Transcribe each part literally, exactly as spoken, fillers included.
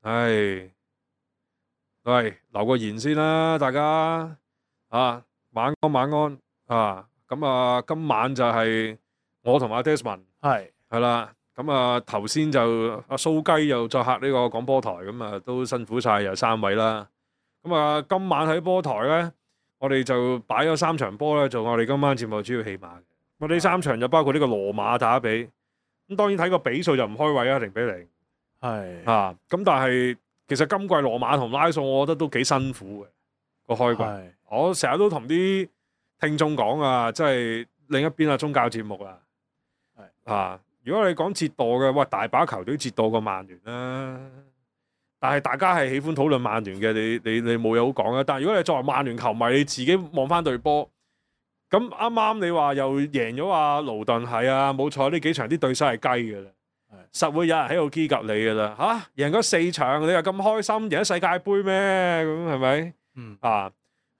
唉，喂，留個言先啦，大家啊，晚安晚安啊，咁啊，今晚就係我同阿 Desmond 係係啦，咁啊頭先就阿蘇雞又再客呢個廣播台，咁啊都辛苦晒有三位啦，咁啊今晚喺波台咧，我哋就擺咗三場波咧，做我哋今晚節目主要戲碼嘅。我呢三場就包括呢個羅馬打比，咁當然睇個比數就唔開胃啊，零比零係啊，咁但係。其實今季羅馬同拉素，我覺得都幾辛苦嘅個開季。係我成日都同啲聽眾講啊，即係另一邊啊宗教節目啊，係啊，如果你講折墮嘅，喂，大把球隊折墮過曼聯啦。但係大家係喜歡討論曼聯嘅，你你你冇嘢好講啊。但係如果你作為曼聯球迷，你自己望翻隊波，咁啱啱你話又贏咗啊勞頓，係啊，冇錯，呢幾場啲對手係雞嘅啦。實會有人喺度基及你噶啦嚇，贏咗四場你又咁開心，贏咗世界盃咩？咁係咪？嗯啊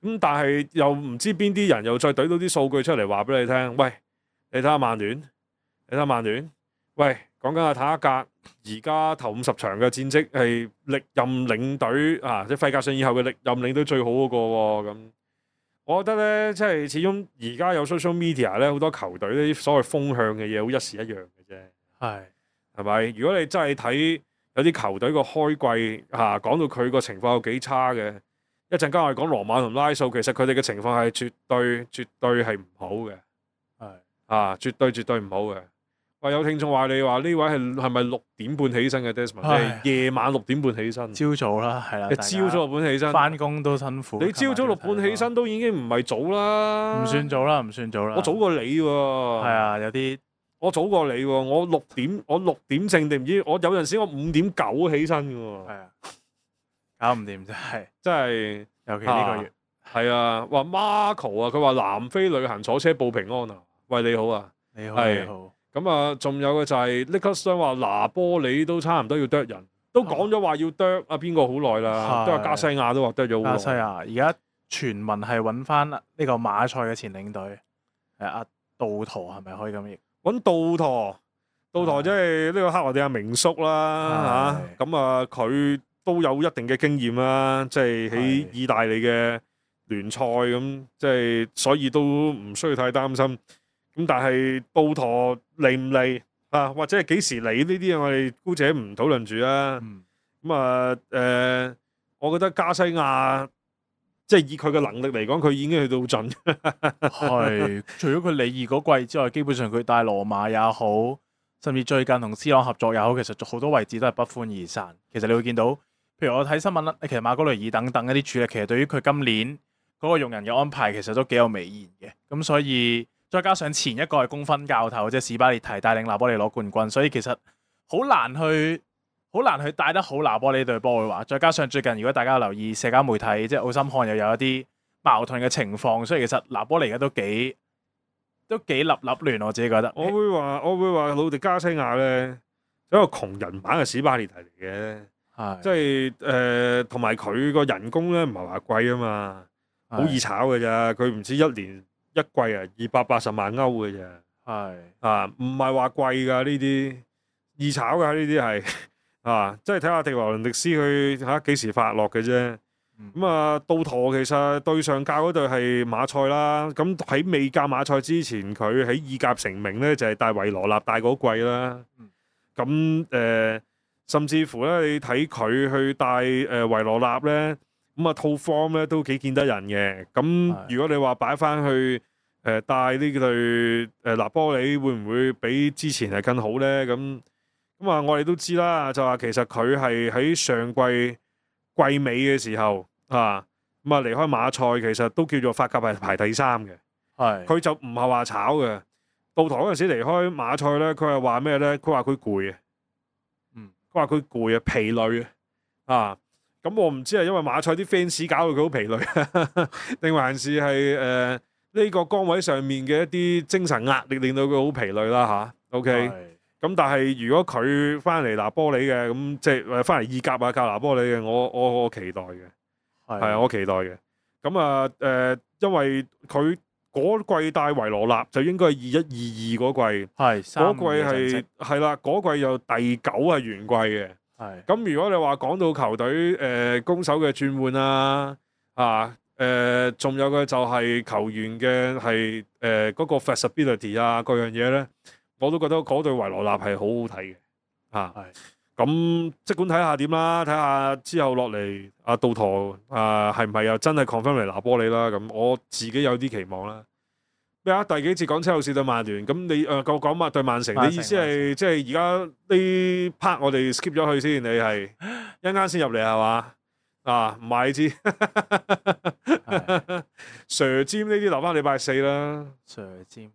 咁，但係又唔知邊啲人又再懟到啲數據出嚟話俾你聽。喂，你睇下曼聯，你睇下曼聯。喂，講緊阿塔格，而家頭五十場嘅戰績係歷任領隊啊，即係費格遜以後嘅歷任領隊最好嗰個喎。咁我覺得咧，即係始終而家有 social media 咧，好多球隊呢啲所謂風向嘅嘢，好一時一樣嘅啫。係。係咪？如果你真係睇有啲球隊個開季嚇，講到佢個情況有幾差嘅，一陣間我哋講羅馬同拉素，其實佢哋嘅情況係絕對絕對係唔好嘅，係啊，絕對絕對唔好嘅。喂，有聽眾話你話呢位係係咪六點半起身嘅 Desmond？即係夜晚六點半起身，朝早啦，係啦。你朝早六點起身，翻工都辛苦。你朝早六點起身都已經唔係早啦，唔算早啦，唔算早啦。我早過你喎。係啊，有啲。我早過你喎，我六點我六點正定唔知，我有陣時我五點九起身嘅喎。係啊，搞唔掂真係，真係，尤其呢個月。係啊，話 Marco 啊，佢話南非旅行坐車報平安啊。喂，你好啊，你好係你好。咁啊，仲有嘅就係 Nicholas 話拿波里都差唔多要啄人，都講咗話要啄啊邊個好耐啦，都話加西亞都話啄咗好耐。加西亞而家傳聞係揾翻呢個馬賽嘅前領隊，係阿杜圖，係咪可以咁譯？揾杜陀，杜陀即係呢個克羅地亞名宿啦嚇，咁啊佢都有一定嘅經驗啦，即係喺意大利嘅聯賽咁，即係所以都唔需要太擔心。咁但係杜陀嚟唔嚟啊？或者係幾時嚟呢啲我哋姑且唔討論住啦。咁啊誒，我覺得加西亞。即係以佢嘅能力嚟講，佢已經去到盡。係，除咗佢里爾嗰季之外，基本上佢帶羅馬也好，甚至最近同 C 朗合作也好，其實好多位置都係不歡而散。其實你會見到，譬如我睇新聞啦，其實馬哥雷爾等等一啲處理，其實對於佢今年嗰個用人嘅安排，其實都幾有微言嘅。咁所以再加上前一個係功勳教頭，即係史巴列提帶領拿波利攞冠軍，所以其實好難去。好難去帶得好拿波利隊波嘅話，再加上最近如果大家有留意社交媒體，即係奧森漢又有一啲矛盾嘅情況，所以其實拿波利而家都幾都幾立立亂，我自己覺得。我會話，我會話，魯迪加西亞咧，一個窮人版嘅史巴列提嚟嘅，即係誒，同埋佢個人工咧唔係話貴啊嘛，好易炒嘅咋，佢唔知一年一季啊二百八十萬歐嘅咋，係啊，唔係話貴㗎呢啲，易炒㗎呢啲係。啊，即係睇下迪華倫迪斯佢嚇幾時發落嘅啫。咁、嗯、啊，杜陀其實對上教嗰隊係馬賽啦。咁喺未教馬賽之前，佢喺意甲成名咧，就係、是、帶維羅納帶嗰季啦。咁誒、呃，甚至乎咧，你睇佢去帶誒、呃、維羅納咧，咁啊套 form 咧都幾見得人嘅。咁如果你話擺翻去誒、呃、帶呢隊誒拿波里，會唔會比之前係更好咧？咁咁啊，我哋都知啦，就話其實佢係喺上季季尾嘅時候啊，咁啊離開馬賽，其實都叫做法甲係排第三嘅。係，佢就唔係話炒嘅。到台嗰陣時離開馬賽咧，佢係話咩咧？佢話佢攰啊，嗯，佢話佢攰啊，疲累啊。啊，咁我唔知係因為馬賽啲 fans 搞到佢好疲累，定還是係誒呢個崗位上面嘅一啲精神壓力令到佢好疲累啦吓 OK。咁但係如果佢翻嚟拿波里嘅，咁即係翻嚟意甲啊教拿波里嘅，我我我期待嘅，係啊，我期待嘅。咁啊誒，因為佢嗰季帶維羅納就應該係二一二二嗰季，係嗰季係係啦，嗰季又第九係完季嘅。係咁如果你話講到球隊誒、呃、攻守嘅轉換啊，啊誒，仲、呃、有嘅就係球員嘅係誒嗰個 flexibility 啊，各樣嘢咧，我都覺得嗰隊維羅納係好好睇嘅啊。係咁即管睇下點啦，睇下之後落嚟阿杜陀啊係唔係又真係 confirm 嚟拿波利啦？咁我自己有啲期望啦。咩啊？第幾節講車路士對曼聯，咁你誒講講嘛對曼城，曼城你意思係即係而家呢 part 我哋 skip 咗去先，你係一陣間先入嚟係嘛？啊唔係你知，Sir Jim 呢啲留翻禮拜四啦 Sir Jim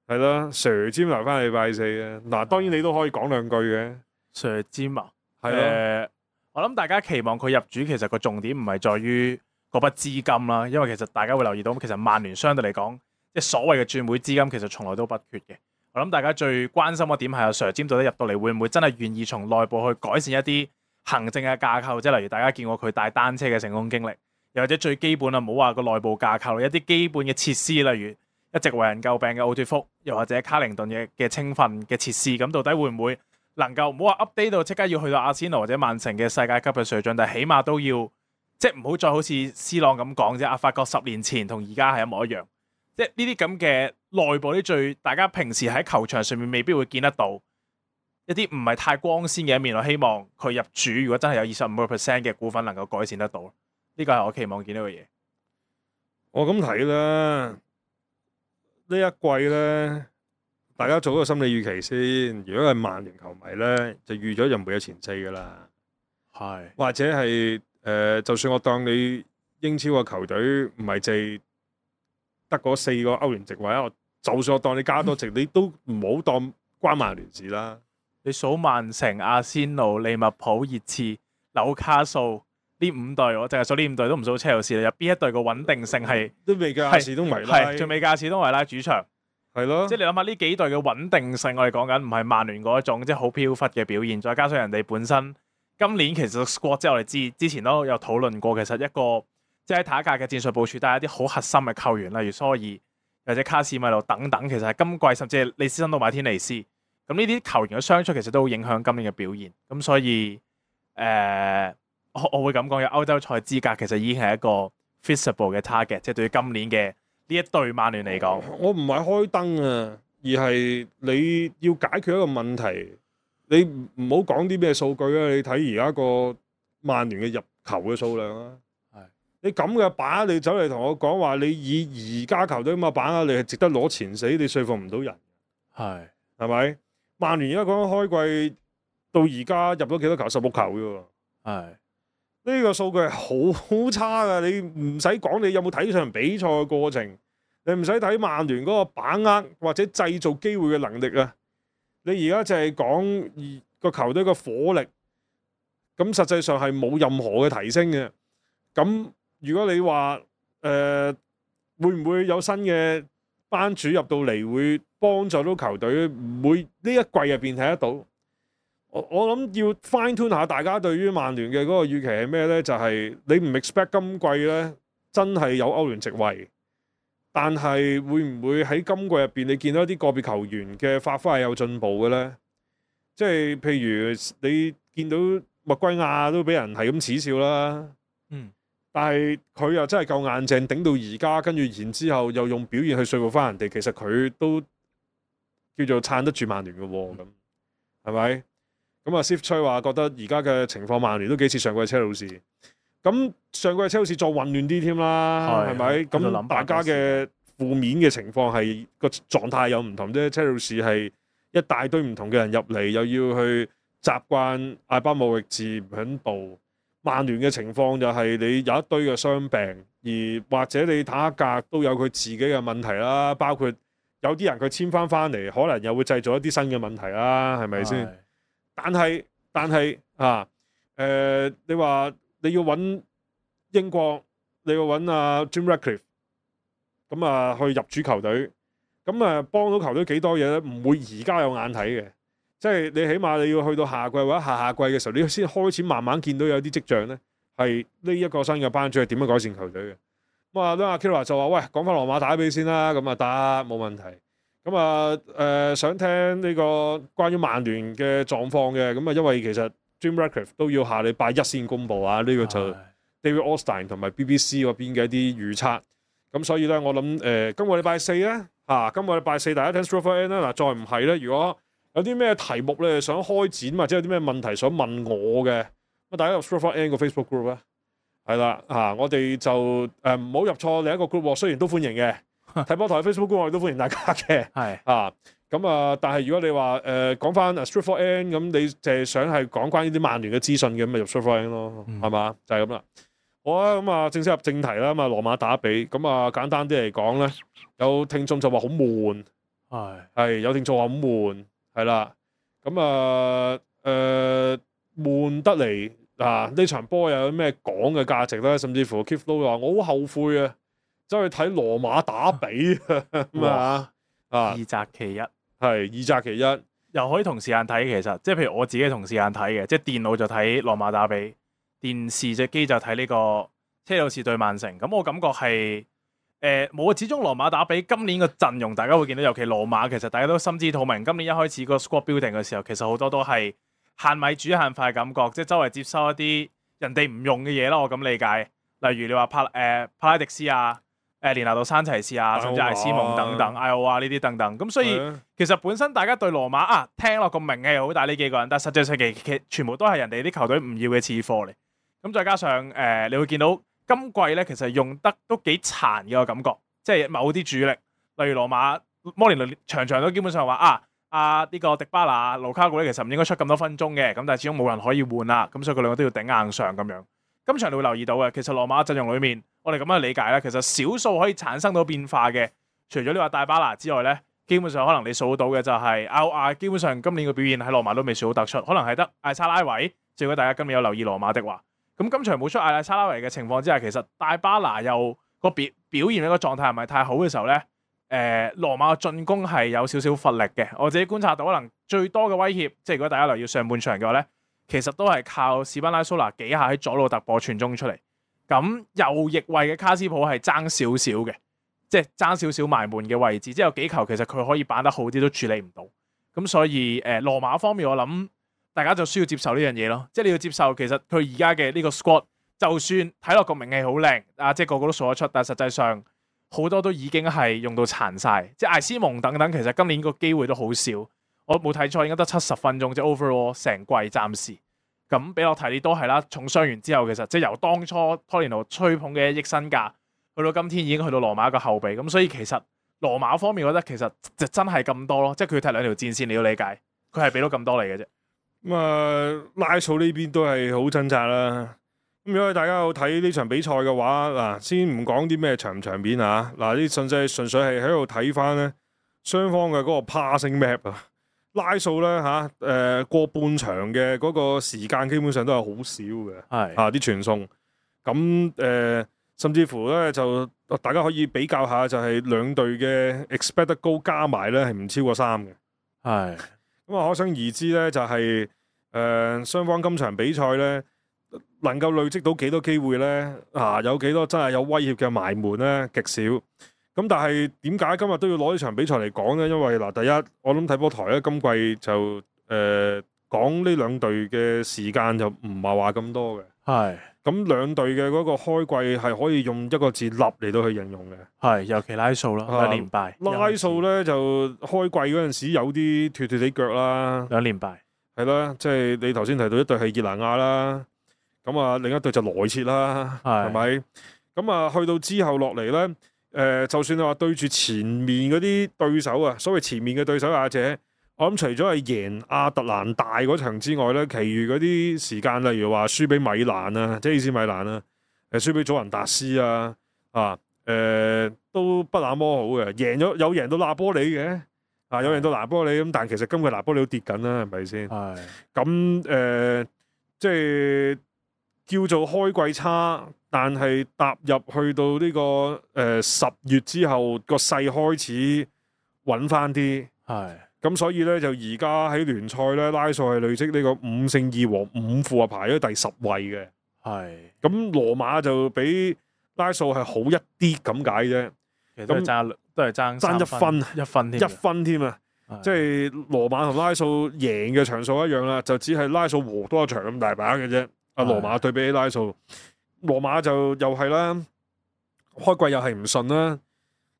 係啦 ，Sir Jim 留翻禮拜四啊。嗱，當然你都可以講兩句嘅。Sir Jim 啊，係咯、呃，我諗大家期望佢入主，其實個重點唔係在於嗰筆資金啦，因為其實大家會留意到，其實曼聯相對嚟講，即係所謂嘅轉會資金，其實從來都不缺嘅。我諗大家最關心嘅點係阿 Sir Jim 到底入到嚟會唔會真係願意從內部去改善一啲行政嘅架構，即係例如大家見過佢帶單車嘅成功經歷，又或者最基本啊，唔好話個內部架構，一啲基本嘅設施，例如一直為人詬病嘅奧脱福，又或者卡靈頓嘅嘅青訓嘅設施，咁到底會唔會能夠唔好話 update 到即刻要去到阿仙奴或者曼城嘅世界級嘅水準，但係起碼都要即係唔好再好似 C 朗咁講啫。阿法國十年前同而家係一模一樣，即係呢啲咁嘅內部啲最大家平時喺球場上面未必會見得到一啲唔係太光鮮嘅一面。我希望佢入主，如果真係有二十五個 percent 嘅股份能夠改善得到，呢個係我期望見到嘅嘢。我咁睇啦，呢一季咧，大家做一個心理預期先。如果係曼聯球迷咧，就預咗就唔會有前四噶啦。係或者係誒、呃，就算我當你英超嘅球隊唔係淨得嗰四個歐聯席位，我就算我當你加多席，你都唔好當關曼聯事啦。你數曼城、阿仙奴、利物浦、熱刺、紐卡素呢五隊，我淨係數呢五隊都唔數車路士啦。有邊一隊個穩定性係都未計亞士東維拉，係仲未價士東維拉主場，係咯。即係你諗下呢幾隊嘅穩定性，我哋講緊唔係曼聯嗰一種即係好飄忽嘅表現，再加上人哋本身今年其實 squad 即係我哋知之前都有討論過，其實一個即係喺下一屆嘅戰術部署，帶一啲好核心嘅球員，例如蘇爾或者卡士米路等等，其實係今季甚至係利斯辛到馬天尼斯。咁呢啲球員嘅傷出其實都好影響今年嘅表現，咁所以誒、呃，我我會咁講，有歐洲賽資格其實已經係一個 feasible 嘅 target，即係對於今年嘅呢一隊曼聯嚟講，我唔係開燈啊，而係你要解決一個問題，你唔好講啲咩數據啊，你睇而家個曼聯嘅入球嘅數量啊，係你咁嘅把，你走嚟同我講話，你以而家球隊咁嘅把握，你係值得攞前四，你說服唔到人，係係咪？曼聯而家講緊開季到而家入咗幾多球？十六球啫喎。係呢個數據係好差㗎，你唔使講你有冇睇場比賽嘅過程，你唔使睇曼聯嗰個把握或者製造機會嘅能力啊。你而家就係講個球隊嘅火力，咁實際上係冇任何嘅提升嘅。咁如果你話誒、呃、會唔會有新嘅班主入到嚟會幫助到球隊，唔會呢一季入邊睇得到。我我諗要 fine tune 下大家對於曼聯嘅嗰個預期係咩呢？就係、是、你唔 expect 今季呢真係有歐聯席位，但係會唔會喺今季入邊你見到一啲個別球員嘅發揮係有進步嘅呢？即係譬如你見到麥圭亞都俾人係咁恥笑啦，嗯。但係佢又真係夠硬淨，頂到而家，跟住然之後又用表現去說服翻人哋，其實佢都叫做撐得住曼聯嘅喎，咁係咪？咁啊 Steve 吹話覺得而家嘅情況，曼聯都幾似上季車路士。咁上季車路士再混亂啲添啦，係咪？咁大家嘅負面嘅情況係個狀態有唔同啫。車路士係一大堆唔同嘅人入嚟，又要去習慣艾巴姆域治唔響度。曼聯嘅情況就係你有一堆嘅傷病，而或者你坦克格都有佢自己嘅問題啦，包括有啲人佢簽翻翻嚟，可能又會製造一啲新嘅問題啦，係咪先？但係但係啊，誒、呃，你話你要揾英國，你要揾阿 Jim Ratcliffe，咁啊去入主球隊，咁啊幫到球隊幾多嘢咧？唔會而家有眼睇嘅。即係你起碼你要去到夏季或者下下季嘅時候，你先開始慢慢見到有啲跡象咧，係呢一個新嘅班主係點樣改善球隊嘅。咁啊，阿 Kira 就話：喂，講翻羅馬打比先啦，咁啊得冇問題。咁啊誒，想聽呢個關於曼聯嘅狀況嘅，咁啊因為其實 Jim Ratcliffe 都要下禮拜一先公佈啊。呢、這個就 David Ornstein 同埋 B B C 嗰邊嘅一啲預測。咁所以咧，我諗誒、呃，今個禮拜四咧嚇、啊，今個禮拜四大家聽 Stroke for N 啦。嗱，再唔係咧，如果有啲咩題目咧想開展，或者有啲咩問題想問我嘅，咁大家入 Stroke for N 個 Facebook group 咧，係啦嚇，我哋就誒唔好入錯另一個 group，雖然都歡迎嘅，睇波台 Facebook group 我哋都歡迎大家嘅，係啊，咁啊，但係如果你話誒講翻 Stroke for N 咁，你就係想係講關於啲曼聯嘅資訊嘅，咁咪入 Stroke for N 咯，係嘛、嗯？就係咁啦。好啊，咁啊，正式入正題啦。咁啊，羅馬打比，咁啊，簡單啲嚟講咧，有聽眾就話好悶，係係有聽眾話好悶，係啦。咁啊，誒悶得嚟啊！呢場波又有咩講嘅價值咧？甚至乎 Keith 都話我好後悔啊，走去睇羅馬打比咁啊啊！二擇其一，係二擇其一，又可以同時間睇。其實即係譬如我自己同時間睇嘅，即係電腦就睇羅馬打比。電視隻機就睇呢個車路士對曼城，咁我感覺係誒冇啊！始終羅馬打比今年個陣容，大家會見到，尤其羅馬其實大家都心知肚明。今年一開始個 squad building 嘅時候，其實好多都係限米煮限飯嘅感覺，即係周圍接收一啲人哋唔用嘅嘢啦。我咁理解，例如你話帕誒、呃、帕拉迪斯啊、誒連拿度山齊士啊，甚至艾斯蒙等等、艾奧啊呢啲等等。咁所以其實本身大家對羅馬啊聽落個名氣好大呢幾個人，但係實際上其其全部都係人哋啲球隊唔要嘅次貨嚟。咁再加上誒、呃，你會見到今季咧，其實用得都幾殘嘅個感覺，即係某啲主力，例如羅馬摩連奴場場都基本上話啊，啊呢、這個迪巴拿、盧卡古咧，其實唔應該出咁多分鐘嘅，咁但係始終冇人可以換啦，咁所以佢兩個都要頂硬上咁樣。今場你會留意到嘅，其實羅馬陣容裏面，我哋咁樣理解咧，其實少數可以產生到變化嘅，除咗你話戴巴拿之外咧，基本上可能你數到嘅就係歐亞，基本上今年嘅表現喺羅馬都未算好突出，可能係得艾沙拉維。如果大家今年有留意羅馬的話。咁今場冇出艾拉沙拉維嘅情況之下，其實戴巴拿又個表表現一個狀態唔係太好嘅時候咧，誒、呃、羅馬嘅進攻係有少少乏力嘅。我自己觀察到，可能最多嘅威脅，即係如果大家留意上半場嘅話咧，其實都係靠史班拉蘇拿幾下喺左路突破傳中出嚟。咁右翼位嘅卡斯普係爭少少嘅，即係爭少少埋門嘅位置，即係有幾球其實佢可以板得好啲都處理唔到。咁所以誒、呃、羅馬方面我諗。大家就需要接受呢樣嘢咯，即係你要接受，其實佢而家嘅呢個 squad，就算睇落個名氣好靚，啊，即係個個都數得出，但係實際上好多都已經係用到殘晒，即係艾斯蒙等等，其實今年個機會都好少，我冇睇錯應該得七十分鐘，即係 overall 成季暫時。咁比洛提利都係啦，重傷完之後，其實即係由當初托連奴吹捧嘅一億身價，去到今天已經去到羅馬一個後備，咁所以其實羅馬方面，我覺得其實就真係咁多咯，即係佢踢兩條戰線，你要理解，佢係俾到咁多嚟嘅啫。咁啊，拉素呢邊都係好掙扎啦。咁如果大家有睇呢場比賽嘅話，嗱，先唔講啲咩場唔場面啊，嗱，呢純粹純粹係喺度睇翻咧雙方嘅嗰個 passing map 啊。拉素咧嚇，誒過半場嘅嗰個時間基本上都係好少嘅，係啊啲傳送。咁誒，甚至乎咧就大家可以比較下，就係兩隊嘅 expected goal 加埋咧係唔超過三嘅，係。咁啊，可想而知咧，就係誒雙方今場比賽咧，能夠累積到幾多機會咧？啊，有幾多真係有威脅嘅埋門咧？極少。咁但係點解今日都要攞呢場比賽嚟講咧？因為嗱，第一我諗睇波台咧，今季就誒、呃、講呢兩隊嘅時間就唔係話咁多嘅。係。咁兩隊嘅嗰個開季係可以用一個字立嚟到去形容嘅，係尤其拉素啦，兩連敗。拉素咧就開季嗰陣時有啲脫脫地腳啦，兩連敗係啦，即係你頭先提到一隊係熱拿亞啦，咁啊另一隊就萊切啦，係咪？咁啊去到之後落嚟咧，誒、呃、就算你話對住前面嗰啲對手啊，所謂前面嘅對手或者。我諗除咗係贏亞特蘭大嗰場之外咧，其餘嗰啲時間，例如話輸俾米蘭啊，即係 A C 米蘭啊，誒輸俾祖雲達斯啊，啊誒、呃、都不那麼好嘅。贏咗有贏到拿波里嘅，啊有贏到拿波里咁，但係其實今季拿波里都跌緊啦，係咪先？係咁誒，即係叫做開季差，但係踏入去到呢、這個誒十、呃、月之後，個勢開始穩翻啲，係。咁所以咧就而家喺聯賽咧拉素係累積呢個五勝二和五負啊，排咗第十位嘅。係。咁羅馬就比拉素係好一啲咁解啫。其實都係爭都係爭爭一分一分添。一分添啊！即係羅馬同拉素贏嘅場數一樣啦，就只係拉素和多一場咁大把嘅啫。阿羅馬對比起拉素，羅馬就又係啦，開季又係唔順啦。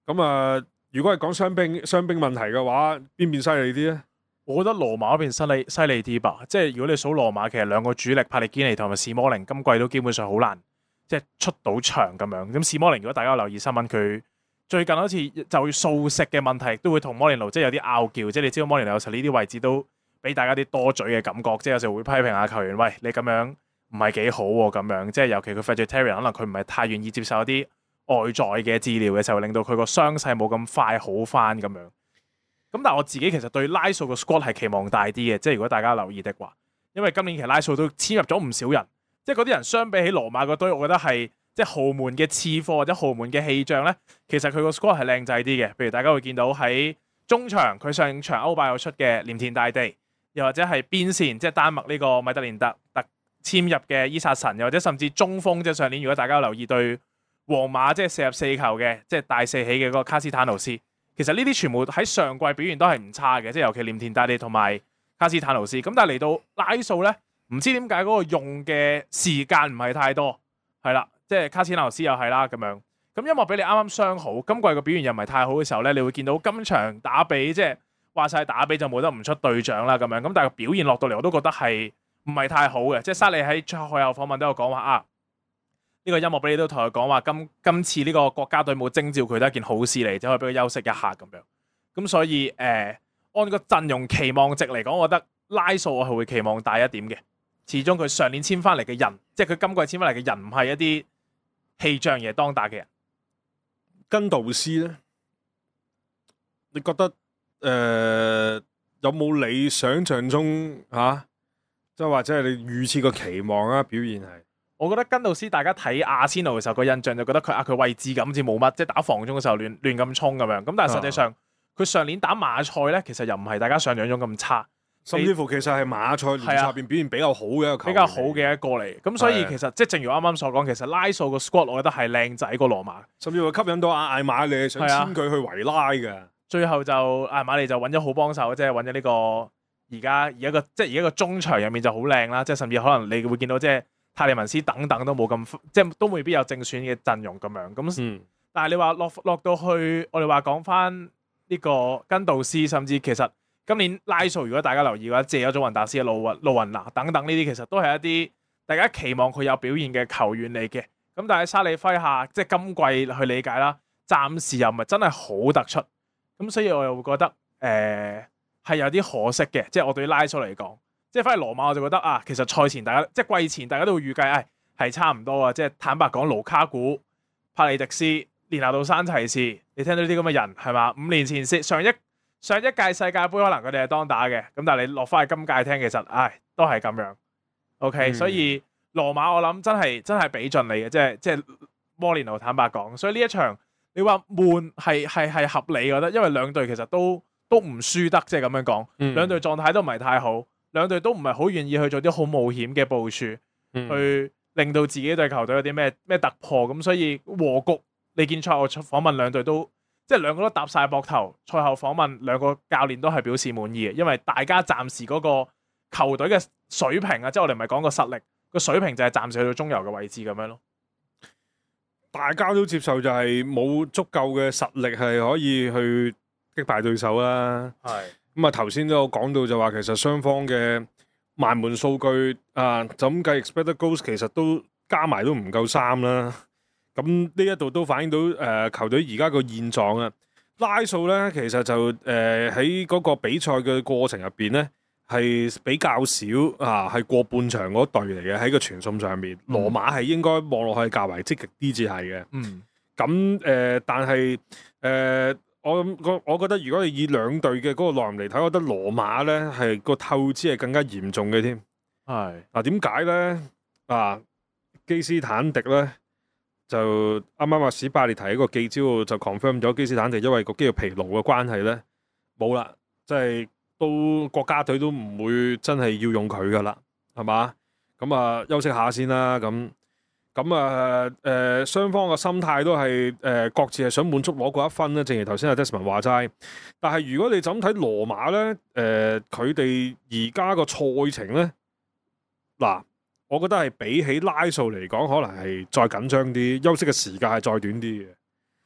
咁啊，如果係講傷兵傷兵問題嘅話，邊邊犀利啲咧？我覺得羅馬嗰邊犀利犀利啲吧。即係如果你數羅馬，其實兩個主力帕利堅尼同埋史摩寧今季都基本上好難即係出到場咁樣。咁史摩寧如果大家有留意新聞，佢最近好似就素食嘅問題都會同摩連奴即係有啲拗撬。即係你知道摩連奴有時呢啲位置都俾大家啲多嘴嘅感覺，即係有時會批評下球員，喂，你咁樣唔係幾好喎咁樣。即係尤其佢 vegetarian， 可能佢唔係太願意接受一啲外在嘅治療嘅時候，令到佢個傷勢冇咁快好翻咁樣。咁但係我自己其實對拉素個 squad 係期望大啲嘅，即係如果大家留意的話，因為今年其實拉素都簽入咗唔少人，即係嗰啲人相比起羅馬嗰堆，我覺得係即係豪門嘅次貨或者豪門嘅氣象咧，其實佢個 squad 係靚仔啲嘅。譬如大家會見到喺中場，佢上場歐霸有出嘅鎌田大地，又或者係邊線，即係丹麥呢個米特連特特簽入嘅伊薩神，又或者甚至中鋒，即係上年如果大家有留意對皇馬即係射入四球嘅，即係大四喜嘅嗰個卡斯坦奴斯。其實呢啲全部喺上季表現都係唔差嘅，即係尤其鎌田大地同埋卡斯坦奴斯。咁但係嚟到拉素咧，唔知點解嗰個用嘅時間唔係太多，係啦，即係卡斯坦奴斯又係啦咁樣。咁因為俾你啱啱傷好，今季個表現又唔係太好嘅時候咧，你會見到今場打比即係話晒打比就冇得唔出隊長啦咁樣。咁但係個表現落到嚟我都覺得係唔係太好嘅。即係沙利喺賽後訪問都有講話啊。呢個音樂俾你都同佢講話，今今次呢個國家隊冇徵召佢都係一件好事嚟，就可以俾佢休息一下咁樣。咁所以誒、呃，按個陣容期望值嚟講，我覺得拉素我係會期望大一點嘅。始終佢上年簽翻嚟嘅人，即係佢今季簽翻嚟嘅人，唔係一啲氣象嘢當打嘅人。根道斯咧，你覺得誒、呃、有冇你想象中嚇？即、啊、係或者係你預設個期望啊？表現係？我覺得根道斯大家睇阿仙奴嘅時候個印象就覺得佢啊佢位置感好似冇乜，即係打防中嘅時候亂亂咁衝咁樣。咁但係實際上佢、啊、上年打馬賽咧，其實又唔係大家想象中咁差，甚至乎其實係馬賽聯賽入邊表現比較好嘅一個球員，比較好嘅一個嚟。咁所以其實即係正如啱啱所講，其實拉素個 squad 我覺得係靚仔過羅馬，甚至乎吸引到阿艾馬利想簽佢去維拉嘅。最後就艾馬利就揾咗好幫手，即係揾咗呢個而家而家個即係而家個中場入面就好靚啦，即係甚至可能你會見到即係。泰利文斯等等都冇咁，即係都未必有正選嘅陣容咁樣。咁，嗯、但係你話落落到去，我哋話講翻呢個根道斯，甚至其實今年拉素，如果大家留意嘅話，借咗祖雲達斯、路雲路雲拿等等呢啲，其實都係一啲大家期望佢有表現嘅球員嚟嘅。咁但係沙利輝下，即係今季去理解啦，暫時又唔係真係好突出。咁所以我又會覺得誒係、呃、有啲可惜嘅，即係我對拉素嚟講。即係翻嚟羅馬我就覺得啊，其實賽前大家即係季前大家都會預計，誒係差唔多啊。即係坦白講，盧卡古、帕利迪斯、連拿度山齊士，你聽到呢啲咁嘅人係嘛？五年前上一上一屆世界盃可能佢哋係當打嘅，咁但係你落翻去今屆聽，其實唉都係咁樣。OK，、嗯、所以羅馬我諗真係真係俾盡你嘅，即係即係摩連奴坦白講。所以呢一場你話悶係係係合理，我覺得，因為兩隊其實都都唔輸得，即係咁樣講，嗯、兩隊狀態都唔係太好。兩隊都唔係好願意去做啲好冒險嘅部署，嗯、去令到自己隊球隊有啲咩咩突破，咁所以和局。你見賽後訪問兩隊都即係兩個都搭晒膊頭，賽後訪問兩個教練都係表示滿意嘅，因為大家暫時嗰個球隊嘅水平啊，即係我哋唔係講個實力，個水平就係暫時去到中游嘅位置咁樣咯。大家都接受就係冇足夠嘅實力係可以去擊敗對手啦。係。咁啊，頭先都有講到就話，其實雙方嘅埋門數據啊，就咁計 expected goals 其實都加埋都唔夠三啦。咁呢一度都反映到誒、呃、球隊而家個現狀啊。拉素咧，其實就誒喺嗰個比賽嘅過程入邊咧，係比較少啊，係過半場嗰隊嚟嘅喺個傳送上面。羅、嗯、馬係應該望落去較為積極啲至係嘅。嗯。咁誒、呃，但係誒。呃我我我覺得如果你以兩隊嘅嗰個內容嚟睇，我覺得羅馬咧係個透支係更加嚴重嘅添。係嗱，點解咧？啊，基斯坦迪咧就啱啱話史巴列提一個記招就 confirm 咗基斯坦迪因為個肌肉疲勞嘅關係咧冇啦，即係都國家隊都唔會真係要用佢噶啦，係嘛？咁啊休息下先啦。咁咁啊誒雙方嘅心態都係誒、呃、各自係想滿足攞嗰一分咧，正如頭先阿 Desmond 話齋。但係如果你就咁睇羅馬咧，誒佢哋而家個賽程咧，嗱，我覺得係比起拉素嚟講，可能係再緊張啲，休息嘅時間係再短啲嘅。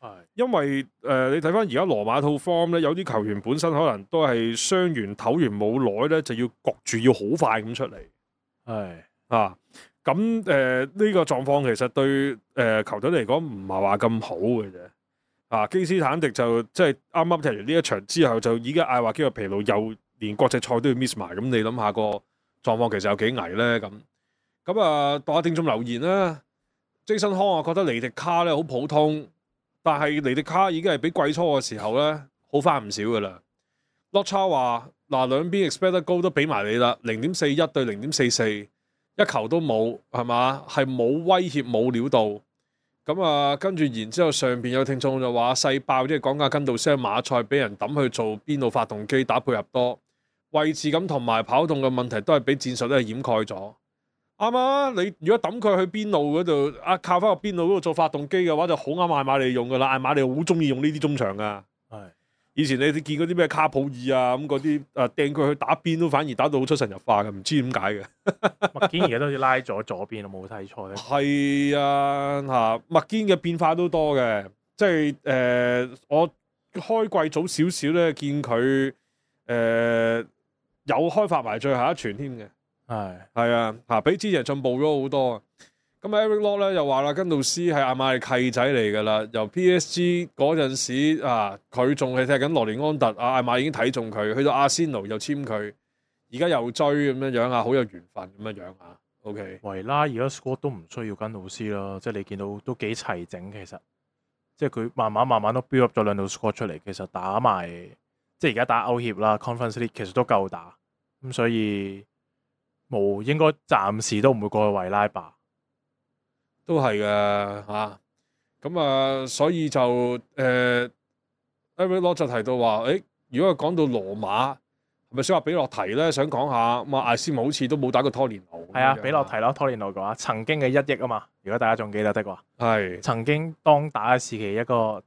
係，因為誒、呃、你睇翻而家羅馬套 form 咧，有啲球員本身可能都係傷完唞完冇耐咧，就要焗住要好快咁出嚟。係啊，咁誒呢個狀況其實對誒、呃、球隊嚟講唔係話咁好嘅啫。啊，基斯坦迪就即係啱啱踢完呢一場之後，就已經嗌話肌肉疲勞，又連國際賽都要 miss 埋。咁你諗下個狀況其實有幾危咧？咁咁啊，讀下聽眾留言啦。Jason 康啊，覺得尼迪卡咧好普通，但係尼迪卡已經係比季初嘅時候咧好翻唔少噶啦。洛差話嗱，兩邊 expect 高都俾埋你啦，零點四一對零點四四，一球都冇係嘛？係冇威脅冇料到。咁啊，跟住然之後上邊有聽眾就話細爆，即係講緊根道斯馬賽俾人抌去做邊路發動機打配合多位置咁，同埋跑動嘅問題都係俾戰術都係掩蓋咗。啱啊！你如果抌佢去邊路嗰度啊，靠翻個邊路嗰度做發動機嘅話，就好啱艾馬利用噶啦。艾馬利好中意用呢啲中場噶。係以前你哋見嗰啲咩卡普爾啊咁嗰啲啊掟佢去打邊都反而打到好出神入化嘅，唔知點解嘅。麥堅而家都好似拉咗左邊，我冇睇錯咧。係啊，嚇麥堅嘅變化都多嘅，即係誒、呃、我開季早少少咧，見佢誒、呃、有開發埋最後一傳添嘅。係係啊，嚇比之前進步咗好多。咁 Eric Lock 咧又話啦，根道斯係阿馬利契仔嚟㗎啦。由 P S G 嗰陣時啊，佢仲係踢緊羅連安特，阿阿馬已經睇中佢，去到阿仙奴又簽佢，而家又追咁樣樣啊，好有緣分咁樣樣啊。OK，維拉而家 squad 都唔需要根道斯啦，即係你見到都幾齊整，其實即係佢慢慢慢慢都 build up 咗兩套 squad 出嚟，其實打埋即係而家打歐協啦 Conference League 其實都夠打，咁所以冇應該暫時都唔會過去維拉吧。都係嘅嚇，咁啊，所以就誒 Eric Lock 就提到話，誒，如果講到羅馬，係咪想話比洛提咧？想講下咁啊，艾斯姆好似都冇打過拖連奴。係啊，比洛提咯，拖連奴嘅話，曾經嘅一億啊嘛，如果大家仲記得的話，係曾經當打嘅時期一個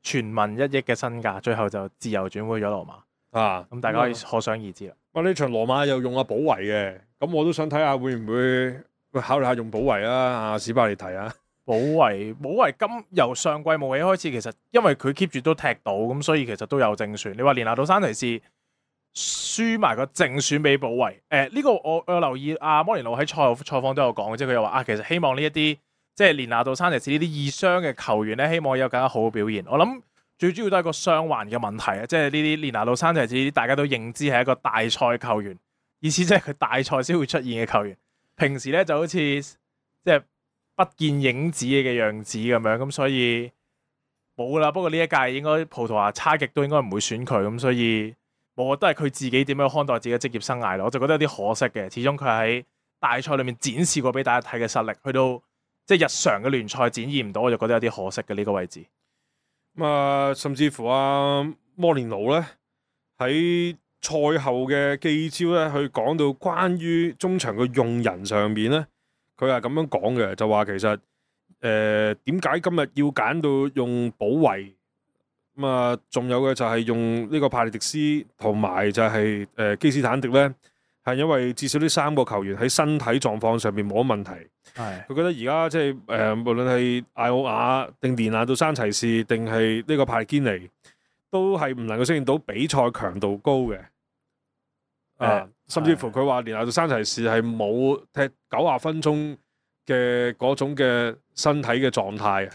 傳聞一億嘅身價，最後就自由轉會咗羅馬啊，咁大家可以可想而知啦。哇！呢場羅馬又用阿保維嘅，咁我都想睇下會唔會。喂，考慮下用保維啊，阿史巴利提啊，保維保維今由上季末起開始，其實因為佢 keep 住都踢到，咁所以其實都有正選。你話連拿到山提士輸埋個正選俾保維，誒、呃、呢、這個我我有留意阿、啊、摩連奴喺賽後採訪都有講，即係佢又話啊，其實希望呢一啲即係連拿到山提士呢啲易傷嘅球員咧，希望有更加好嘅表現。我諗最主要都係個傷患嘅問題啊，即係呢啲連拿到山提士呢啲大家都認知係一個大賽球員，意思即係佢大賽先會出現嘅球員。平時咧就好似即係不見影子嘅樣子咁樣，咁所以冇啦。不過呢一屆應該葡萄牙差極都應該唔會選佢，咁所以我覺得係佢自己點樣看待自己嘅職業生涯咯。我就覺得有啲可惜嘅，始終佢喺大賽裏面展示過俾大家睇嘅實力，去到即係日常嘅聯賽展現唔到，我就覺得有啲可惜嘅呢、這個位置。咁啊，甚至乎啊，摩連奴咧喺賽後嘅記招咧，去講到關於中場嘅用人上面咧，佢係咁樣講嘅，就話其實誒點解今日要揀到用保維咁啊？仲有嘅就係用呢個帕利迪斯同埋就係、是、誒、呃、基斯坦迪咧，係因為至少呢三個球員喺身體狀況上面冇乜問題。係佢覺得而家即係誒，無論係艾奧亞定連拿到山齊士定係呢個帕利堅尼，都係唔能夠適應到比賽強度高嘅。啊！甚至乎佢話連拿到山齊士係冇踢九十分鐘嘅嗰種嘅身體嘅狀態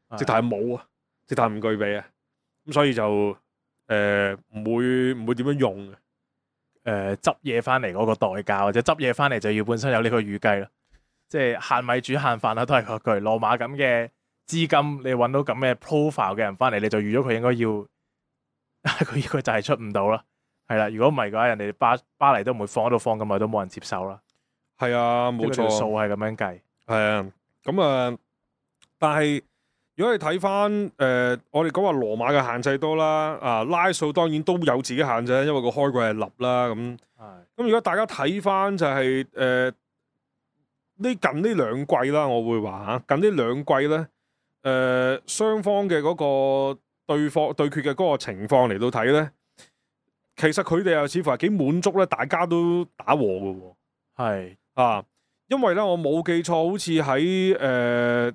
啊，直頭係冇啊，直頭係唔具備啊，咁所以就誒唔、呃、會唔會點樣用嘅？誒、呃、執嘢翻嚟嗰個代價，或者執嘢翻嚟就要本身有呢個預計啦。即係限米煮限飯啦，都係嗰句。羅馬咁嘅資金，你揾到咁嘅 profile 嘅人翻嚟，你就預咗佢應該要佢佢就係出唔到啦。係啦，如果唔係嘅話，人哋巴巴黎都唔會放喺度放咁耐，都冇人接受啦。係啊，冇錯，數係咁樣計。係啊，咁啊，但係如果你睇翻誒，我哋講話羅馬嘅限制多啦，啊拉數當然都有自己限制，因為個開季係立啦咁。係。咁如果大家睇翻就係、是、誒、呃、呢近呢兩季啦，我會話嚇近呢兩季咧，誒、呃、雙方嘅嗰個對方對決嘅嗰個情況嚟到睇咧，其實佢哋又似乎係幾滿足咧，大家都打和嘅喎。係啊，因為咧我冇記錯，好似喺誒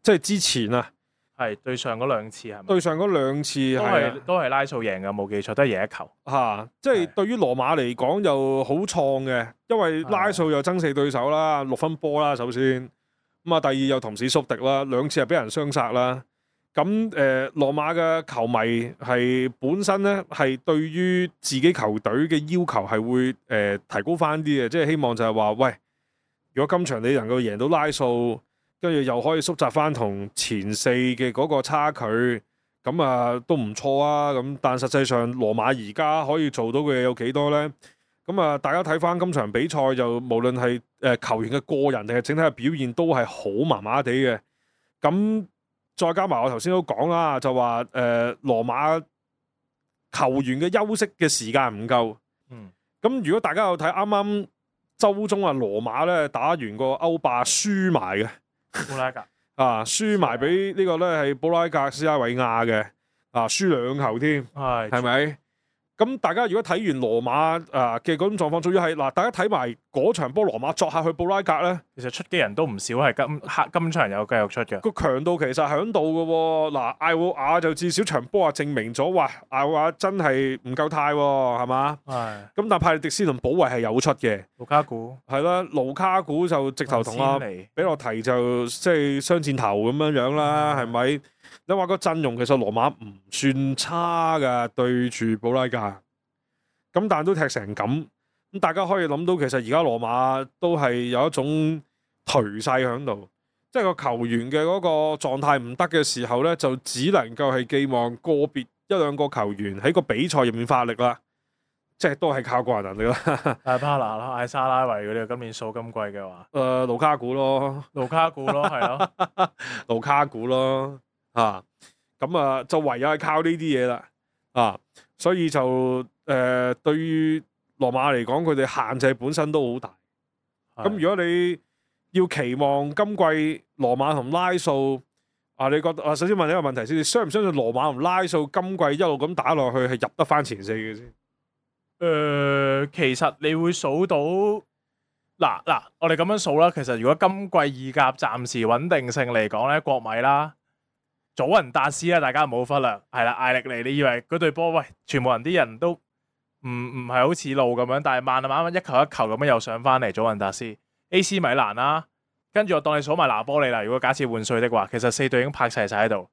即係之前啊，係對上嗰兩次係咪？對上嗰兩次都係啊係都係拉數贏嘅，冇記錯都係贏一球。嚇、啊，即係對於羅馬嚟講又好創嘅，因為拉素又爭四對手啦，六分波啦首先，咁啊第二又同時宿敵啦，兩次係俾人雙殺啦。咁誒、呃、羅馬嘅球迷係本身咧係對於自己球隊嘅要求係會誒、呃、提高翻啲嘅，即係希望就係話喂，如果今場你能夠贏到拉素，跟住又可以縮窄翻同前四嘅嗰個差距，咁啊都唔錯啊！咁但實際上羅馬而家可以做到嘅嘢有幾多呢？咁啊，大家睇翻今場比賽就無論係誒球員嘅個人定係整體嘅表現都係好麻麻地嘅。咁再加埋我頭先都講啦，就話誒、呃、羅馬球員嘅休息嘅時間唔夠。嗯。咁如果大家有睇啱啱週中啊，羅馬咧打完個歐霸輸埋嘅。布拉格啊，輸埋俾呢個咧係布拉格斯拉維亞嘅，啊輸兩球添，係係咪？咁大家如果睇完羅馬啊嘅嗰種狀況，仲要係嗱，大家睇埋嗰場波羅馬作客去布拉格咧，其實出機人都唔少，係今黑今場有繼續出嘅。個強度其實喺度嘅喎。嗱，艾奧亞就至少場波啊證明咗，哇！艾奧亞真係唔夠態喎，係嘛？係。咁但係派利迪斯同保維係有出嘅，盧卡古係啦，盧卡古就直頭同阿比洛提就即係雙箭頭咁樣樣啦，係咪？你話個陣容其實羅馬唔算差㗎，對住布拉格，咁但係都踢成咁，咁大家可以諗到其實而家羅馬都係有一種頹勢喺度，即係個球員嘅嗰個狀態唔得嘅時候咧，就只能夠係寄望個別一兩個球員喺個比賽入面發力啦，即係都係靠個人能力啦。艾巴拿啦、艾沙拉維嗰啲，今年數今季嘅話，誒、呃、盧卡古咯，盧卡古咯，係咯，盧卡古咯。啊，咁啊，就唯有係靠呢啲嘢啦，啊，所以就誒、呃，對於羅馬嚟講，佢哋限制本身都好大。咁如果你要期望今季羅馬同拉素，啊，你覺得啊，首先問你一個問題先，你相唔相信羅馬同拉素今季一路咁打落去係入得翻前四嘅先？誒、呃，其實你會數到嗱嗱，我哋咁樣數啦。其實如果今季意甲暫時穩定性嚟講咧，國米啦。祖雲達斯啦，大家唔好忽略，係啦，艾力尼，你以為嗰隊波喂，全部人啲人都唔唔係好似路咁樣，但係慢慢慢一球一球咁樣又上翻嚟，祖雲達斯、A C 米蘭啦，跟住我當你數埋拿波利啦。如果假設換帥的話，其實四隊已經拍齊晒喺度，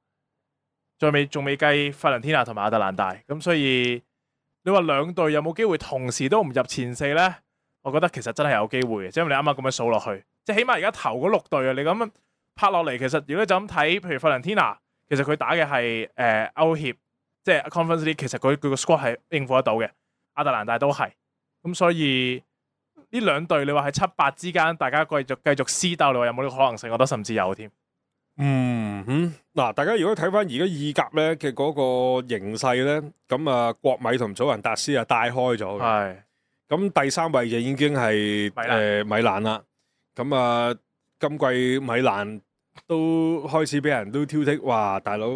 再未仲未計費倫天拿同埋亞特蘭大，咁所以你話兩隊有冇機會同時都唔入前四呢？我覺得其實真係有機會嘅，即係你啱啱咁樣數落去，即係起碼而家頭嗰六隊啊，你咁樣拍落嚟，其實如果你就咁睇，譬如費倫天拿。其實佢打嘅係誒歐協，即係 Conference League，其實佢佢個 squad 係應付得到嘅。亞特蘭大都係，咁所以呢兩隊你話喺七八之間，大家繼續繼續私鬥，你話有冇呢個可能性？我覺得甚至有添。嗯哼，嗱，大家如果睇翻而家意甲咧嘅嗰個形勢咧，咁啊國米同祖雲達斯啊帶開咗嘅，係。咁第三位就已經係誒米蘭米蘭啦。咁啊，今季米蘭。都開始俾人都挑剔，哇！大佬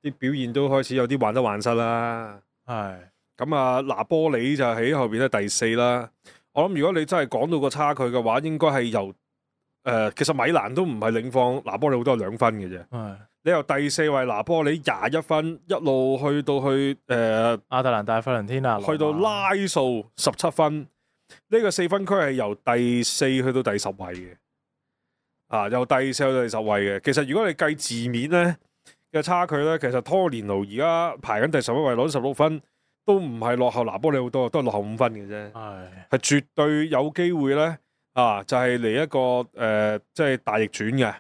啲表現都開始有啲患得患失啦。係咁啊，拿波里就喺後邊咧第四啦。我諗如果你真係講到個差距嘅話，應該係由誒、呃，其實米蘭都唔係領放拿波里好多兩分嘅啫。係你由第四位拿波里廿一分，一路去到去誒、呃、亞特蘭大、費倫天拿，去到拉素十七分，呢、這個四分區係由第四去到第十位嘅。啊，由第四到第十位嘅，其實如果你計字面咧嘅差距咧，其實拖連奴而家排緊第十一位，攞十六分，都唔係落後拿波里好多，都係落後五分嘅啫。係係絕對有機會咧，啊，就係、是、嚟一個誒，即、呃、係、就是、大逆轉嘅。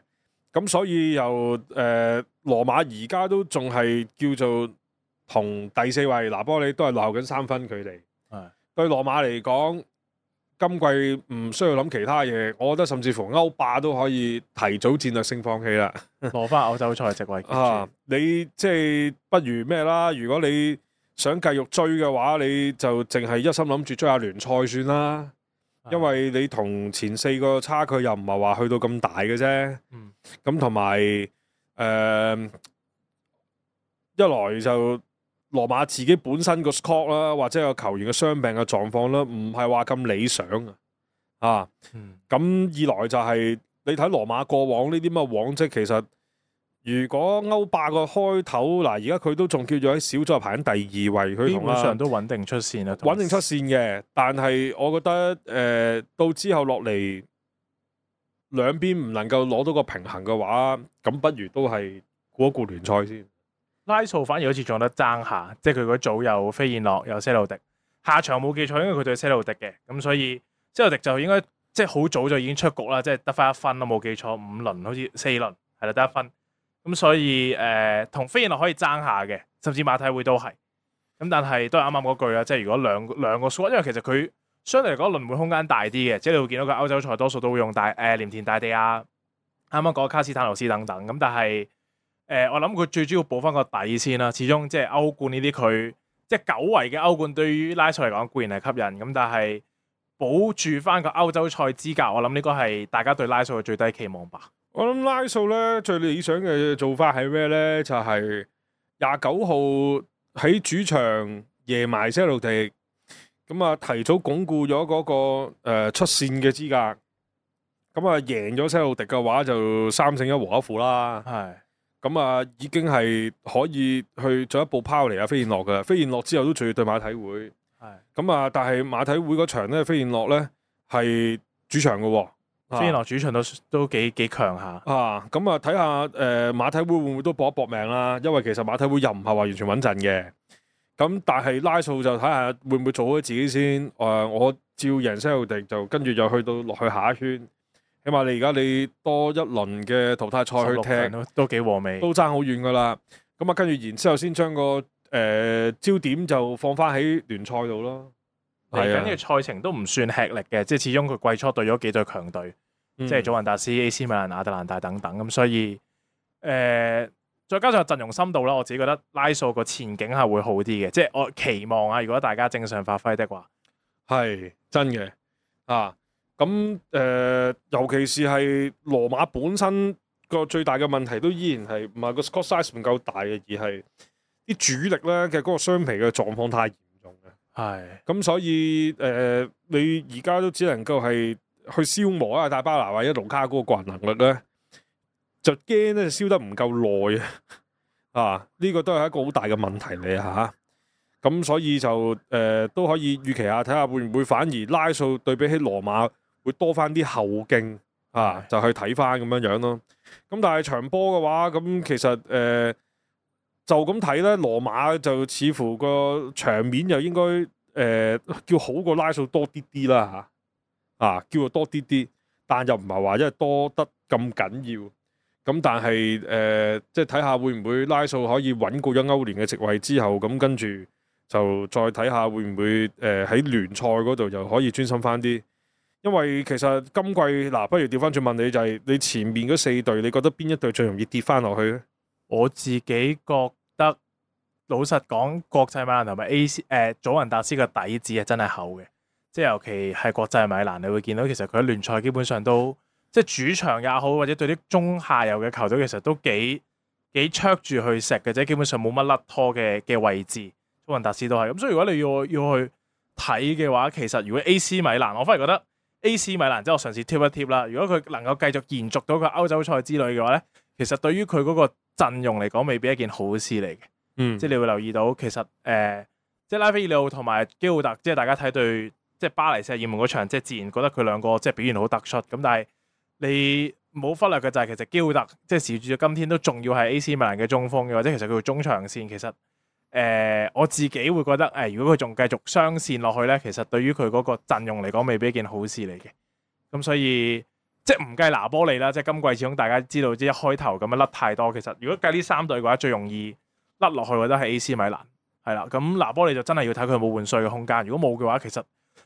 咁所以由誒、呃、羅馬而家都仲係叫做同第四位拿波里都係落後緊三分距離。係對羅馬嚟講。今季唔需要諗其他嘢，我覺得甚至乎歐霸都可以提早戰略性放棄啦，攞翻歐洲賽席位。啊，你即係不如咩啦？如果你想繼續追嘅話，你就淨係一心諗住追下聯賽算啦。因為你同前四個差距又唔係話去到咁大嘅啫。嗯，咁同埋誒一來就羅馬自己本身個 squad 啦，或者個球員嘅傷病嘅狀況啦，唔係話咁理想啊。啊，嗯，咁二來就係你睇羅馬過往呢啲咁嘅往績，其實如果歐霸個開頭嗱，而家佢都仲叫做喺小組排緊第二位，佢基同啊本上都穩定出線啦，穩定出線嘅。但係我覺得誒、呃、到之後落嚟兩邊唔能夠攞到個平衡嘅話，咁不如都係顧一顧聯賽先。拉素反而好似仲有得爭下，即係佢嗰組有飛燕諾有些路迪，下場冇記錯應該佢對些路迪嘅，咁所以些路迪就應該即係好早就已經出局啦，即係得翻一分啦，冇記錯五輪好似四輪係啦得一分，咁所以誒同、呃、飛燕諾可以爭下嘅，甚至馬體會都係，咁但係都係啱啱嗰句啦，即係如果兩兩個 squad，因為其實佢相對嚟講輪換空間大啲嘅，即係你會見到佢歐洲賽多數都會用大誒、呃、廉田大地啊，啱啱講卡斯坦奴斯等等，咁但係。誒、呃，我諗佢最主要補翻個底先啦。始終即係歐冠呢啲，佢即係久違嘅歐冠，對於拉素嚟講固然係吸引，咁但係保住翻個歐洲賽資格，我諗呢個係大家對拉素嘅最低期望吧。我諗拉素咧最理想嘅做法係咩咧？就係廿九號喺主場贏埋些路迪，咁啊提早鞏固咗嗰、那個誒、呃、出線嘅資格。咁啊贏咗些路迪嘅話，就三勝一和一負啦。係。咁啊，已經係可以去進一步拋離啊飛燕諾噶，飛燕諾之後都仲要對馬體會。係。咁啊，但係馬體會嗰場咧，飛燕諾咧係主場噶、哦。飛燕諾主場都都幾幾強下。啊，咁啊睇下誒馬體會會唔會都搏一搏命啦？因為其實馬體會又唔係話完全穩陣嘅。咁但係拉素就睇下會唔會做好自己先。誒、呃，我照贏些路迪就跟住就去到落去下一圈。起碼你而家你多一輪嘅淘汰賽去踢，都都幾和味，都爭好遠噶啦。咁啊，跟住然之後先將個誒、呃、焦點就放翻喺聯賽度咯。嚟緊嘅賽程都唔算吃力嘅，即係始終佢季初對咗幾隊強隊，嗯、即係祖雲達斯、A C 米蘭、亞特蘭大等等。咁所以誒、呃，再加上陣容深度啦，我自己覺得拉素個前景係會好啲嘅。即係我期望啊，如果大家正常發揮的話，係真嘅啊。咁誒、呃，尤其是係羅馬本身個最大嘅問題，都依然係唔係個 squad size 唔夠大嘅，而係啲主力咧嘅嗰個雙皮嘅狀況太嚴重嘅。係咁，所以誒、呃，你而家都只能夠係去消磨啊，大巴拿或者盧卡嗰個個人能力咧，就驚咧燒得唔夠耐啊！啊，呢、這個都係一個好大嘅問題嚟啊！嚇，咁所以就誒、呃、都可以預期下，睇下會唔會反而拉素對比起羅馬。會多翻啲後勁啊，就去睇翻咁樣樣咯。咁但係長波嘅話，咁其實誒、呃、就咁睇咧，羅馬就似乎個場面又應該誒、呃、叫好過拉素多啲啲啦嚇，啊叫做多啲啲，但又唔係話因為多得咁緊要。咁但係誒、呃、即係睇下會唔會拉素可以穩固咗歐聯嘅席位之後，咁跟住就再睇下會唔會誒喺聯賽嗰度又可以專心翻啲。因為其實今季嗱、啊，不如調翻轉問你，就係、是、你前面嗰四隊，你覺得邊一隊最容易跌翻落去咧？我自己覺得，老實講，國際米蘭同埋 A C 誒、呃、祖雲達斯嘅底子係真係厚嘅，即係尤其係國際米蘭，你會見到其實佢喺聯賽基本上都即係主場也好，或者對啲中下游嘅球隊，其實都幾幾灼住去食嘅啫，基本上冇乜甩拖嘅嘅位置。祖雲達斯都係咁，所以如果你要要去睇嘅話，其實如果 A C 米蘭，我反而覺得。A C 米蘭即係我嘗試貼一貼啦。如果佢能夠繼續延續到個歐洲賽之類嘅話咧，其實對於佢嗰個陣容嚟講，未必一件好事嚟嘅。嗯，即係你會留意到，其實誒、呃，即係拉菲爾奧同埋基奧特，即係大家睇對即係巴黎聖日耳門嗰場，即係自然覺得佢兩個即係表現好突出。咁但係你冇忽略嘅就係其實基奧特即係時至到今天都仲要係 A C 米蘭嘅中鋒嘅，或者其實佢中場線其實。誒、呃、我自己會覺得誒、呃，如果佢仲繼續雙線落去咧，其實對於佢嗰個陣容嚟講，未必一件好事嚟嘅。咁所以即係唔計拿波利啦，即係今季始終大家知道，即係一開頭咁樣甩太多。其實如果計呢三隊嘅話，最容易甩落去，我覺得係 A C 米蘭係啦。咁拿波利就真係要睇佢有冇換帥嘅空間。如果冇嘅話，其實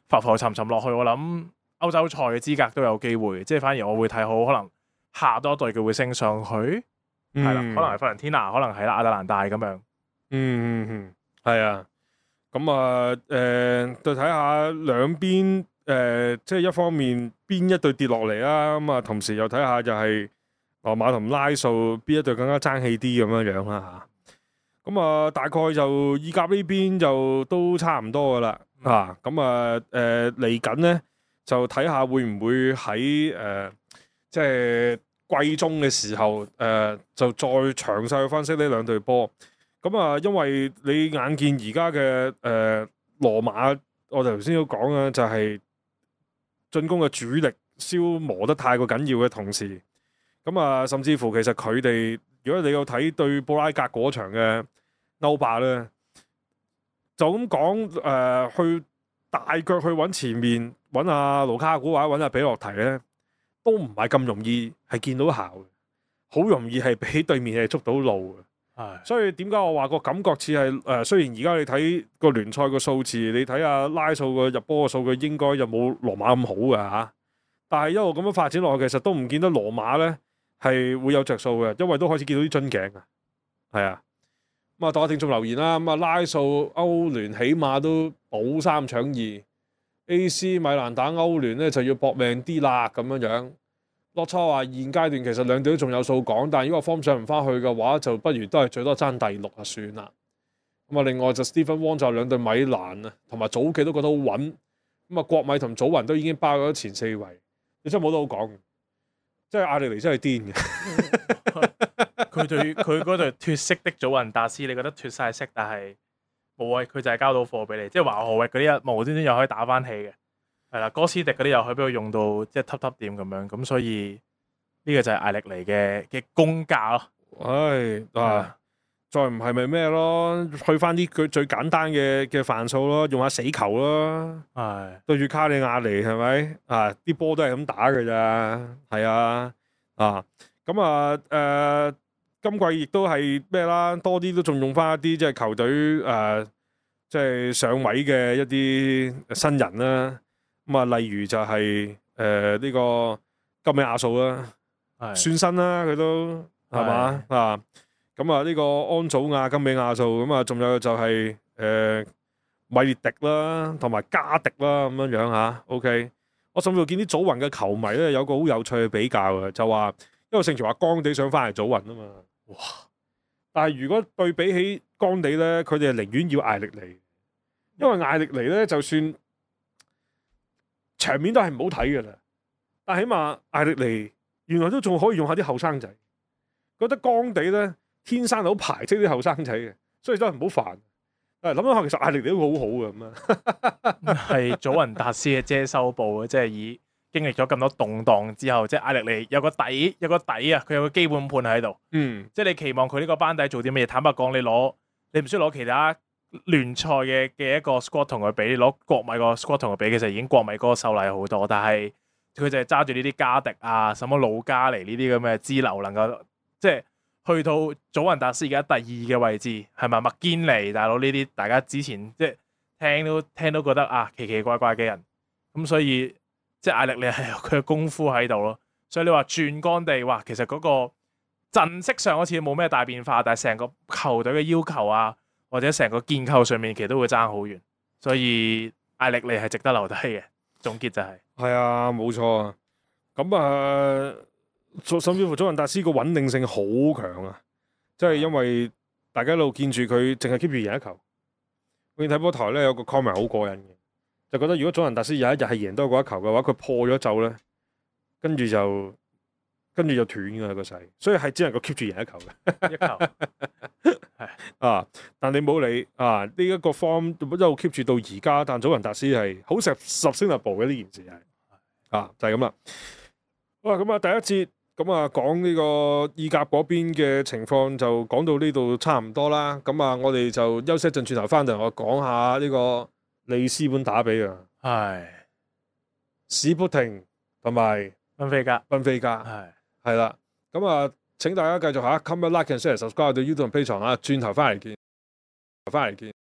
浮浮沉沉落去，我諗歐洲賽嘅資格都有機會。即係反而我會睇好可能下多隊佢會升上去，係啦、嗯，可能係費倫天拿，可能係啦亞特蘭大咁樣。嗯嗯嗯，係啊，咁啊，誒、呃，就睇下兩邊誒誒，即係一方面邊一隊跌落嚟啦，咁啊，同時又睇下就係羅馬同拉素邊一隊更加爭氣啲咁樣樣啦嚇。咁啊，大概就意甲呢邊就都差唔多噶啦嚇。咁啊誒嚟緊咧就睇下會唔會喺誒即係季中嘅時候誒、呃、就再詳細去分析呢兩隊波。咁啊，因為你眼見而家嘅誒羅馬，我哋頭先都講啦，就係進攻嘅主力消磨得太過緊要嘅同時，咁啊，甚至乎其實佢哋，如果你有睇對布拉格嗰場嘅歐霸咧，就咁講誒，去大腳去揾前面揾阿盧卡古或者揾阿比洛提咧，都唔係咁容易係見到效嘅，好容易係俾對面係捉到路嘅。所以點解我話個感覺似係誒？雖然而家你睇個聯賽個數字，你睇下拉素個入波個數據應該就冇羅馬咁好嘅嚇，但係一路咁樣發展落去，其實都唔見得羅馬咧係會有着數嘅，因為都開始見到啲樽頸啊。係啊，咁啊，當我聽眾留言啦，咁啊拉素歐聯起碼都保三搶二 ，A C 米蘭打歐聯咧就要搏命啲啦咁樣樣。洛初話現階段其實兩隊都仲有數講，但係如果 form 上唔翻去嘅話，就不如都係最多爭第六啊算啦。咁啊，另外就 Stephen Wong 就兩隊米蘭啊，同埋祖記都覺得好穩。咁啊，國米同祖雲都已經包咗前四位，你真係冇得好講。即係阿力尼真係癲嘅。佢對佢嗰隊脫色的祖雲達斯，你覺得脫晒色，但係冇啊，佢就係交到貨俾你，即係華荷域嗰啲一無端端又可以打翻起嘅。係啦，哥斯迪嗰啲又可以俾佢用到即係揼揼點咁樣，咁所以呢個就係艾力尼嘅嘅功架咯。唉啊，再唔係咪咩咯？去翻啲佢最簡單嘅嘅範數咯，用下死球咯。係對住卡里亞尼係咪啊？啲波都係咁打嘅咋，係啊啊咁啊誒、呃，今季亦都係咩啦？多啲都仲用翻一啲即係球隊誒，即係上位嘅一啲新人啦。咁啊，例如就係誒呢個金美亞素啦，算新啦，佢都係嘛啊？咁啊，呢個安祖亞、金美亞素，咁啊，仲有就係、是、誒、呃、米列迪啦，同埋加迪啦，咁樣樣嚇。OK，我甚至乎見啲祖雲嘅球迷咧，有個好有趣嘅比較嘅，就話因為盛傳話干地想翻嚟祖雲啊嘛，哇！但係如果對比起干地咧，佢哋係寧願要艾力尼，因為艾力尼咧就算場面都係唔好睇嘅啦，但係起碼艾力尼原來都仲可以用下啲後生仔，覺得干地咧天生好排斥啲後生仔嘅，所以真係唔好煩。誒諗諗下，其實艾力尼都好好嘅咁啊，係祖雲達斯嘅遮羞布啊，即係以經歷咗咁多動盪之後，即係艾力尼有個底有個底啊，佢有個基本盤喺度。嗯，即係你期望佢呢個班底做啲乜嘢？坦白講，你攞你唔需要攞其他聯賽嘅嘅一個 squad 同佢比，你攞國米個 squad 同佢比，其實已經國米嗰個秀麗好多。但係佢就係揸住呢啲加迪啊、什麼魯加尼呢啲咁嘅支流，能夠即係去到祖雲達斯而家第二嘅位置，係咪麥堅尼大佬呢啲？大家之前即係聽都聽都覺得啊奇奇怪怪嘅人，咁所以即係艾力尼係有佢嘅功夫喺度咯。所以你話轉干地，哇，其實嗰個陣式上好似冇咩大變化，但係成個球隊嘅要求啊，或者成個建構上面其實都會爭好遠，所以艾力尼係值得留低嘅。總結就係、是，係啊，冇錯啊。咁啊，甚至乎祖雲達斯個穩定性好強啊，即係因為大家一路見住佢淨係 keep 住贏一球。我見睇波台咧有個 comment 好過癮嘅，就覺得如果祖雲達斯有一日係贏多過一球嘅話，佢破咗咒咧，跟住就跟住就斷㗎個勢，所以係只能夠 keep 住贏一球嘅。一球係啊，但你冇理啊，呢、這、一個 form 一路 keep 住到而家，但祖雲達斯係好 sustainable 嘅呢件事係啊，就係咁啦。好啦，咁啊第一節咁啊講呢個意甲嗰邊嘅情況就講到呢度差唔多啦。咁啊，我哋就休息一陣，轉頭翻嚟我講下呢個利斯本打比啊，係史普廷同埋賓菲加，賓菲加係係啦。咁啊，請大家繼續下 comment like and share subscribe 到 YouTube 同 Patreon啊，轉頭翻嚟見，翻嚟見。